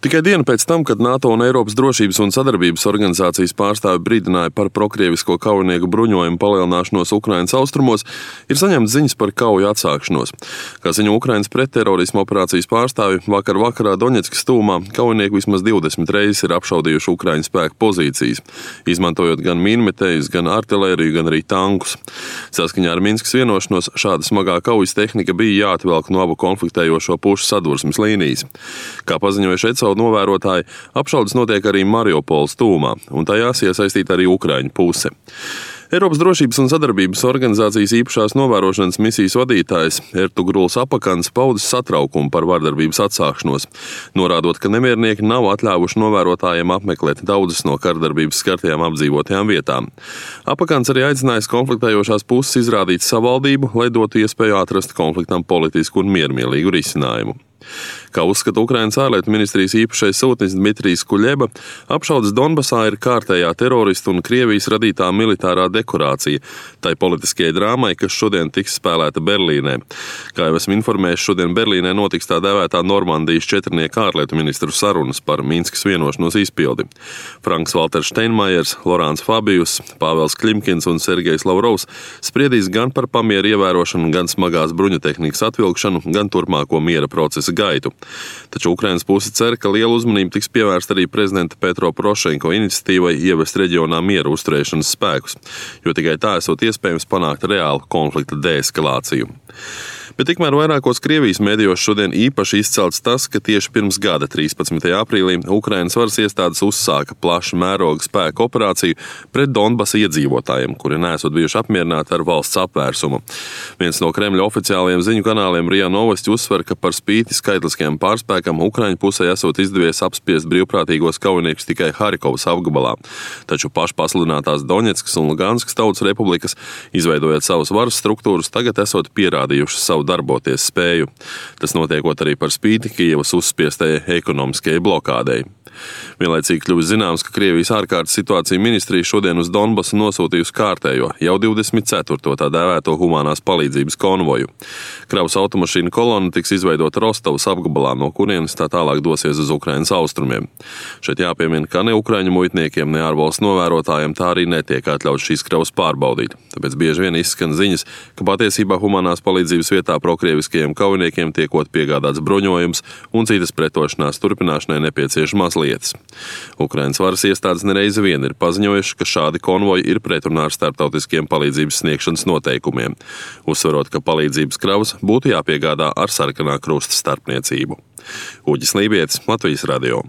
Tikai diena pēc tam, kad NATO un Eiropas drošības un sadarbības organizācijas pārstāvi brīdināja par prokrievisko kaujinieku bruņojumu palielināšanos Ukrainas austrumos, ir saņemts ziņas par kauju atsākšanos. Kā ziņo Ukrainas pretterorisma operācijas pārstāvi, vakarā Doņetskas tuvumā kaujinieki vismaz 20 reizes ir apšaudījuši Ukraiņu spēku pozīcijas, izmantojot gan mīnmetējus, gan artilēriju, gan arī tankus. Saskaņā ar Minskas vienošanos šāda smagā kaujas tehnika bija jāatvelk no abu konfliktējošo pušu sadursmes līnijas. Kā paziņoja ECO novērotāji, apšaudes notiek arī Mariupoles tuvumā, un tajās iesaistīta arī Ukraiņu puse. Eiropas drošības un sadarbības organizācijas īpašās novērošanas misijas vadītājs Ertugruls Apakans paudis satraukumu par vardarbības atsākšanos, norādot, ka nemiernieki nav atļāvuši novērotājiem apmeklēt daudzas no kardarbības skartajām apdzīvotajām vietām. Apakans arī aicinājis konfliktējošās puses izrādīt savaldību, lai dotu iespēju atrast konfliktam politisku un miermīlīgu risinājumu. Kā uzskata Ukrainas ārlietu ministrijas īpašais sūtnis Dmitrijs Kuļeba, apšaudes Donbasā ir kārtējā teroristu un Krievijas radītā militārā dekorācija tai politiskajai drāmai, kas šodien tiks spēlēta Berlīnē. Kā jau esmu informējis, šodien Berlīnē notiks tā dēvētā Normandijas četrnieku ārlietu ministru sarunas par Minskas vienošanos izpildi. Franks Valters Steinmeiers, Lorāns Fabijus, Pāvels Klimkins un Sergejs Lavrovs spriedīs gan par pamieru ievērošanu, gan smagās bruņutehnikas atvilkšanu, gan turpmāko miera procesa gaitu. Taču Ukrainas puse cer, ka liela uzmanība tiks pievērsta arī prezidenta Petro Porošenko iniciatīvai ievest reģionā miera uzturēšanas spēkus, jo tikai tā esot iespējams panākt reālu konflikta deeskalāciju. Bet tikmēr vairākos Krievijas medijos šodien īpaši izcelts tas, ka tieši pirms gada 13. aprīlī Ukrainas varas iestādes uzsāka plaša mēroga spēku operāciju pret Donbasa iedzīvotājiem, kuri neesot bijuši apmierināti ar valsts apvērsumu. Viens no Kremļa oficiālajiem ziņu kanāliem RIA Novosti uzsver, ka par spīti skaitliskajam pārspēkam Ukraiņu pusē esot izdevies apspiest brīvprātīgos kaujiniekus tikai Harkovas apgabalā. Taču pašpasludinātās Doņetskas un Luganskas tautas republikas, izveidojot savas varas struktūras, tagad esot pierādījušas savu darboties spēju. Tas notiekot arī par spīti Kijevas uzspiestajai ekonomiskajai blokādei. Vienlaicīgi kļuvis zināms, ka Krievijas ārkārtas situācija ministrija šodien uz Donbasu nosūtījusi kārtējo, jau 24. tā dēvēto humanās palīdzības konvoju. Kravas automašīna kolona tiks izveidota Rostovas apgabalā, no kurienes tā tālāk dosies uz Ukrainas austrumiem. Šeit jāpiemina, ka ne ukraiņu muitniekiem, ne ārvalstu novērotājiem tā arī netiek atļauts šīs kravas pārbaudīt. Tāpēc bieži vien izskan ziņas, ka patiesībā humanās palīdzības vietā prokrieviskajiem kaujiniekiem tiekot piegādāts bruņojums un citas pretošanās turpināšanai nepieciešamās lietas. Ukrainas varas iestādes nereizi vien ir paziņojuši, ka šādi konvoji ir pretrunā ar starptautiskiem palīdzības sniegšanas noteikumiem, uzsverot, ka palīdzības kravas būtu jāpiegādā ar sarkanā krusta starpniecību. Uģis Lībietis, Latvijas radio.